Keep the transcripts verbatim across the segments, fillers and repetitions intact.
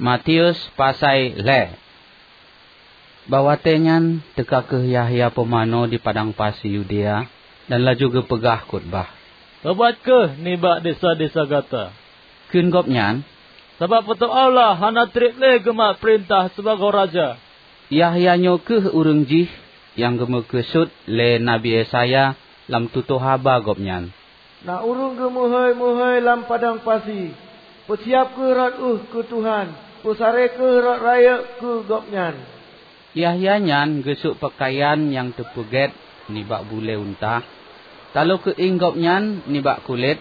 Matius pasai lhée. Bak watée nyan teuka kheueh Yahya Pumanö di padang pasi Yudea dan laju geupeugah khutbah, "Tobat kheueh nibak desya-desya gata," kheun gobnyan, "sabab Po teu Allah hana treb lé geumat peurintah sibagoe raja." Yahya nyoe kheueh ureuëng jih nyang geumeukeusut lé Nabi Yesaya lam tutoe haba gobnyan, "Na ureuëng geumeuhôi-meuhôi lam padang pasi, 'Peusiab kheueh rot ueh keu Tuhan, peusaré kheueh rot rayeuk keu Gobnyan.'" Yahya nyan geusok peukayan nyang teupeugét nibak bulée unta, talo keuieng gobnyan nibak kulét,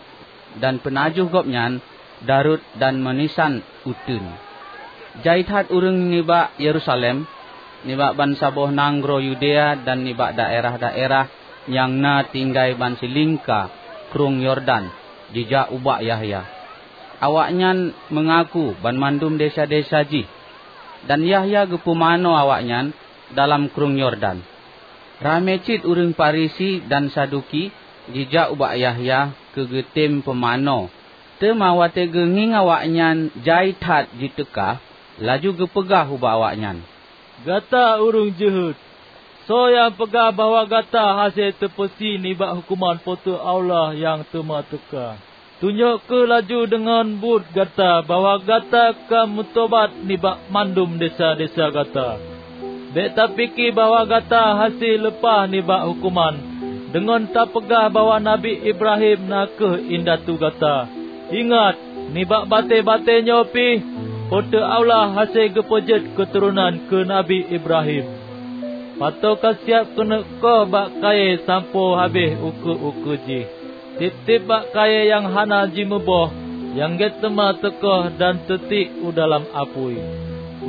dan peunajoh gobnyan darot dan meunisan uteuen. Jai that ureuëng nibak Yerusalem, nibak bansaboh nanggroe Yudea dan nibak daerah-daerah nyang na tinggai ban silingka Krueng Yordan jijak ubak Yahya. Awaknyan meungaku banmandum desya-desya jih, dan Yahya geupumanö awaknyan dalam Krueng Yordan. Ramé cit ureuëng Farisi dan Saduki jijak ubak Yahya keu geutem peumanö. Teuma watée geungieng awaknyan jai that jiteuka, laju geupeugah ubak awaknyan, "Gata ureuëng jeuhet! Soe nyang peugah bahwa gata hase teupeusie nibak huköman Po teu Allah nyang teuma teuka? Tunyok kheueh laju deungon buet gata bahwa gata ka meutobat nibak mandum desya-desya gata. Bék tapike bahwa gata hase leupah nibak huköman deungon tapeugah bahwa Nabi Ibrahim na kheueh indatu gata. Ingat, nibak batée-batée nyoe pih, Po teu Allah hase geupeujeuet keuturonan keu Nabi Ibrahim. Pato ka siab keuneuk koh bak kayée sampoe habéh ukeue-ukeue jih. Tieb-tieb bak kayée nyang hana jimuboh, nyang gét teuma teukoh dan teutiek u dalam apui.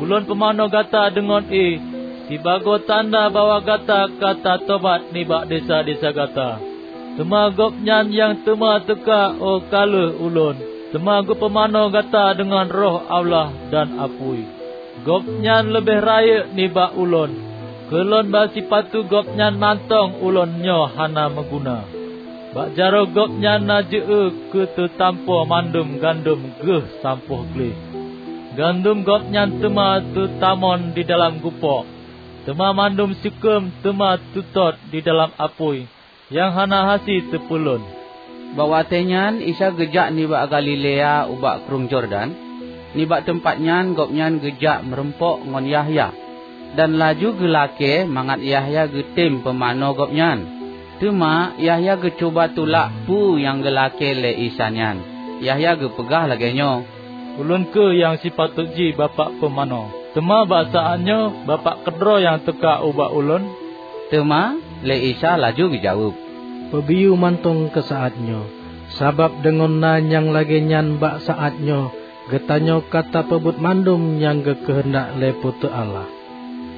Ulôn pumanö gata deungon ié, sibagoe tanda bahwa gata ka tatobat nibak desya-desya gata. Teuma Gobnyan nyang teuma teuka óh ka lheueh ulôn, teuma geupumanö gata deungon Roh Allah dan apui. Gobnyan leubeh rayeuk nibak ulôn. Keu lôn basipatu Gobnyan mantong ulôn nyoe hana meuguna. Bak jaroe Gobnyan na jeu-eu keu teutampoe mandum gandom geuh sampoe gleh. Gandom Gobnyan teuma teutamon di dalam gupok, teuma mandum sikeum teuma teutot di dalam apui nyang hana hase teupeulon." Bak watée nyan Isa geujak nibak Galilea ubak Krueng Yordan. Nibak teumpat nyan Gobnyan geujak meurumpok ngon Yahya, dan laju geulakée mangat Yahya geutem peumanö Gobnyan. Teuma Yahya geucuba tulak peue nyang geulakée lé Isa nyan. Yahya geupeugah lagée nyoe, "Ulôn kheueh nyang sipatot jih Bapak peumanö, teuma bak saát nyoe Bapak keudroe nyang teuka ubak ulôn." Teuma lé Isa laju geujaweueb, "Peubiyeu mantong keu saát nyoe, sabab deungon na nyang lagée nyan bak saát nyoe geutanyoe ka tapeubuet mandum nyang geukeuheundak lé Po teu Allah."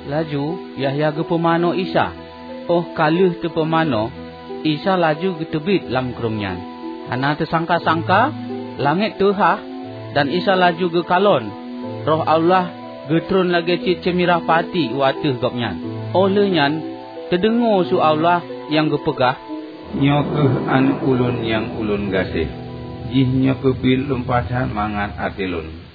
Laju Yahya geupumanö Isa. Óh ka lheueh teupumanö, Isa laju geuteubiet lam krueng nyan. Hana teusangka-sangka, langét teuhah, dan Isa laju geukalon. Roh Allah geutron lagée cit ceumirah pati u ateueh Gobnyan. Óh lheueh nyan teudeungoe su Allah nyang geupeugah, "Nyoe kheueh Aneuëk Ulôn nyang Ulôn gaséh. Jih nyoe keubiet lumpah that mangat até Lôn."